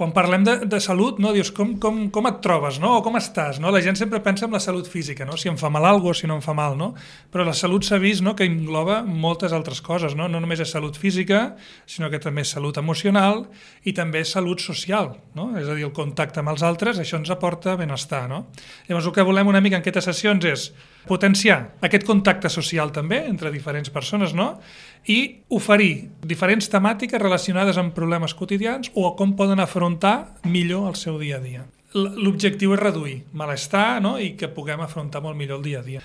Quan parlem de salut, no, dius com et trobes, no? O com estàs, no? La gent sempre pensa en la salut física, no? Si em fa mal alguna cosa, si no em fa mal, no? Però la salut s'ha vist, no, que engloba moltes altres coses, no? No només és salut física, sinó que també és salut emocional i també és salut social, no? És a dir, el contacte amb els altres, això ens aporta benestar, no? Llavors el que volem una mica en aquestes sessions és potenciar aquest contacte social també entre diferents persones, no? I oferir diferents temàtiques relacionades amb problemes quotidians o com poden afrontar millor el seu dia a dia. L'objectiu és reduir malestar, no? I que puguem afrontar molt millor el dia a dia.